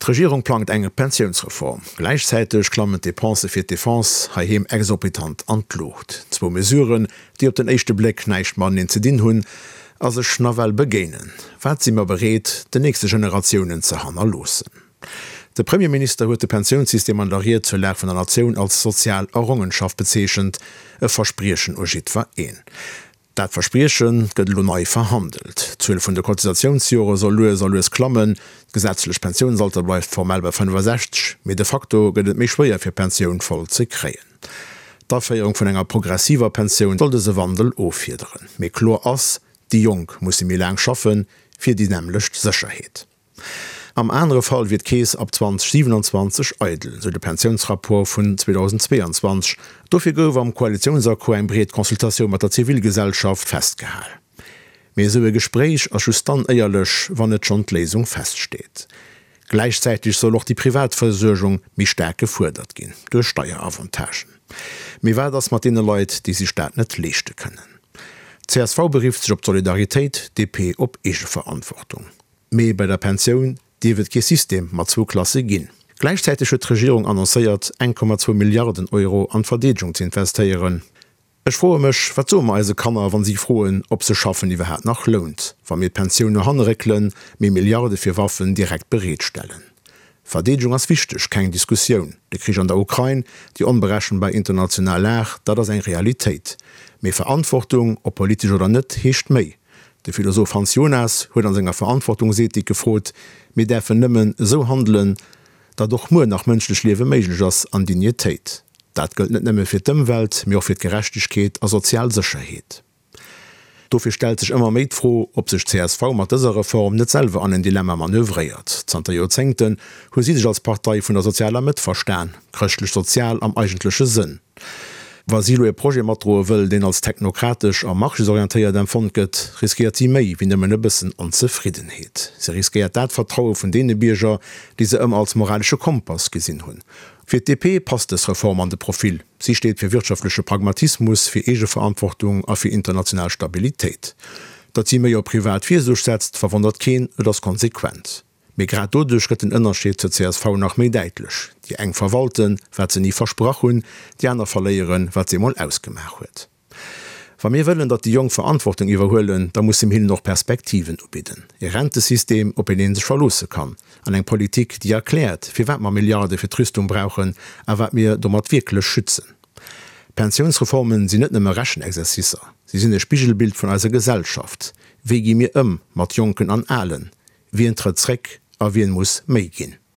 D'Regierung plangt eng Pensiounsreform. Gläichzäiteg klammen d'Depensë fir d'Defense heiheem exorbitant an d'Luucht. Zwou Mesuren, déi op den éischte Bléck näischt mateneen ze dinn hunn a sech nawell begéinen. Wat si mer bereet, den nächste Generatiounen ze hannerloossen? De Premierminister huet de Pensiounssystem an der Ried zur Lag vun der Natioun als sozial Errongenschaft bezeechent, e Verspriechen u jiddwer een. Dat Versprieche gëtt elo nei verhandelt. D'Zuel vun de Cotisatiounsjore soll lues a lues klammen. D'gesetzlecht Pensiounsalter bleift formell bei 65, mee de facto gëtt et méi schwéier fir d'Pensioun voll ze kréien. D'Aféierung vun enger progressiver Pensioun soll dëse Wandel offiederen. Mee kloer ass, déi Jonk musse méi laang schaffen, fir déi nämmlecht Sécherheet. Am anere Fall wier d'Keess ab 2027 eidel, sou de Pensiounsrapport vun 2022. Dofir gouf am Koalitiounsaccord eng breet Consultatioun mat der Zivilgesellschaft festgehal. Mee esou e Gespréich ass just dann éierlech, wann net schonn d'Léisung feststeet. Gläichzäiteg soll och déi privat Versuergung méi staark gefuerdert ginn, duerch Steieраvantagen. Mee wat ass mat deene Leit, déi sech dat net leeschte kënnen? Csv berifft sech op d'Solidaritéit, DP op Eegeverantwortung. Mee bei der Pensioun dierf et kee System mat zwou Klasse ginn. Gläichzäiteg huet d'Regierung annoncéiert, 1,2 Milliarden Euro an d'Verdeedegung ze investéieren. Ech froe mech, wat soe mer eise Kanner, wa si froen, ob sech Schaffen iwwerhaapt nach lount, wa mir d'Pensioun no hanne réckelen, mee Milliarde fir Waffen direkt bereetstellen? Verdeedegung ass wichteg, keng Diskussioun. De Krich an der Ukrain, déi onberechenbar international Lag, dat ass eng Realitéit. Mee Verantwortung, ob politesch oder net, heescht méi. De Philosoph Hans Jonas huet an senger Verantwortungsethik gefrot, Mir däerfen nëmmen esou handelen, datt och muer nach mënschlech Liewe méiglech ass an Dignitéit. Dat gëllt net nëmme fir d'Ëmwelt, mee och fir d'Gerechtegkeet a sozial Sécherheet. Dofir stellt sech ëmmer méi d'Fro, ob sech csv mat dëser Reform net selwer an en Dilemma manövréiert. Zanter Joerzéngten hu si sech als Partei vun der sozialer Mëtt verstan, chrëschtlech-sozial am eigentleche Sënn. Wa si elo e Projet matdroe wëll, deen als technokratesch a marchésorientéiert empfonnt gëtt, riskéiert si méi wéi nëmmen e bëssen Onzefriddenheet. Si riskéiert dat Vertraue vun deene Bierger, déi se ëmmer als moralesche Kompass gesinn hunn. Fir d'DP passt dës Reform an de Profil. Si steet fir wirtschaftleche Pragmatismus, fir Eegeverantwortung a fir international Stabilitéit. Datt si méi op privat Virsuerg setzt, verwonnert keen, et ass konsequent. Mee grad doduerch gëtt den Ënnerscheed zur csv nach méi däitlech, Déi eng verwalten, wat se ni versprach hunn, déi aner verléieren, wat se emol ausgemaach huet. Wa mir wëllen, datt déi Jonk Verantwortung iwwerhuelen, da musse mir hinnen och Perspektiven ubidden, e Rentesystem, op een ee sech verloosse kann, an eng Politik, déi erkläert, firwat mer Milliarde fir d'Rüstung brauchen a wat mir domat wierklech schützen. Pensiounsreformen sinn net nëmme Rechenexercicer, si sinn e Spigelbild vun eiser Gesellschaft. Wéi gi mir ëm mat Jonken an Alen? Wien trëtt zréck a wien muss méi ginn?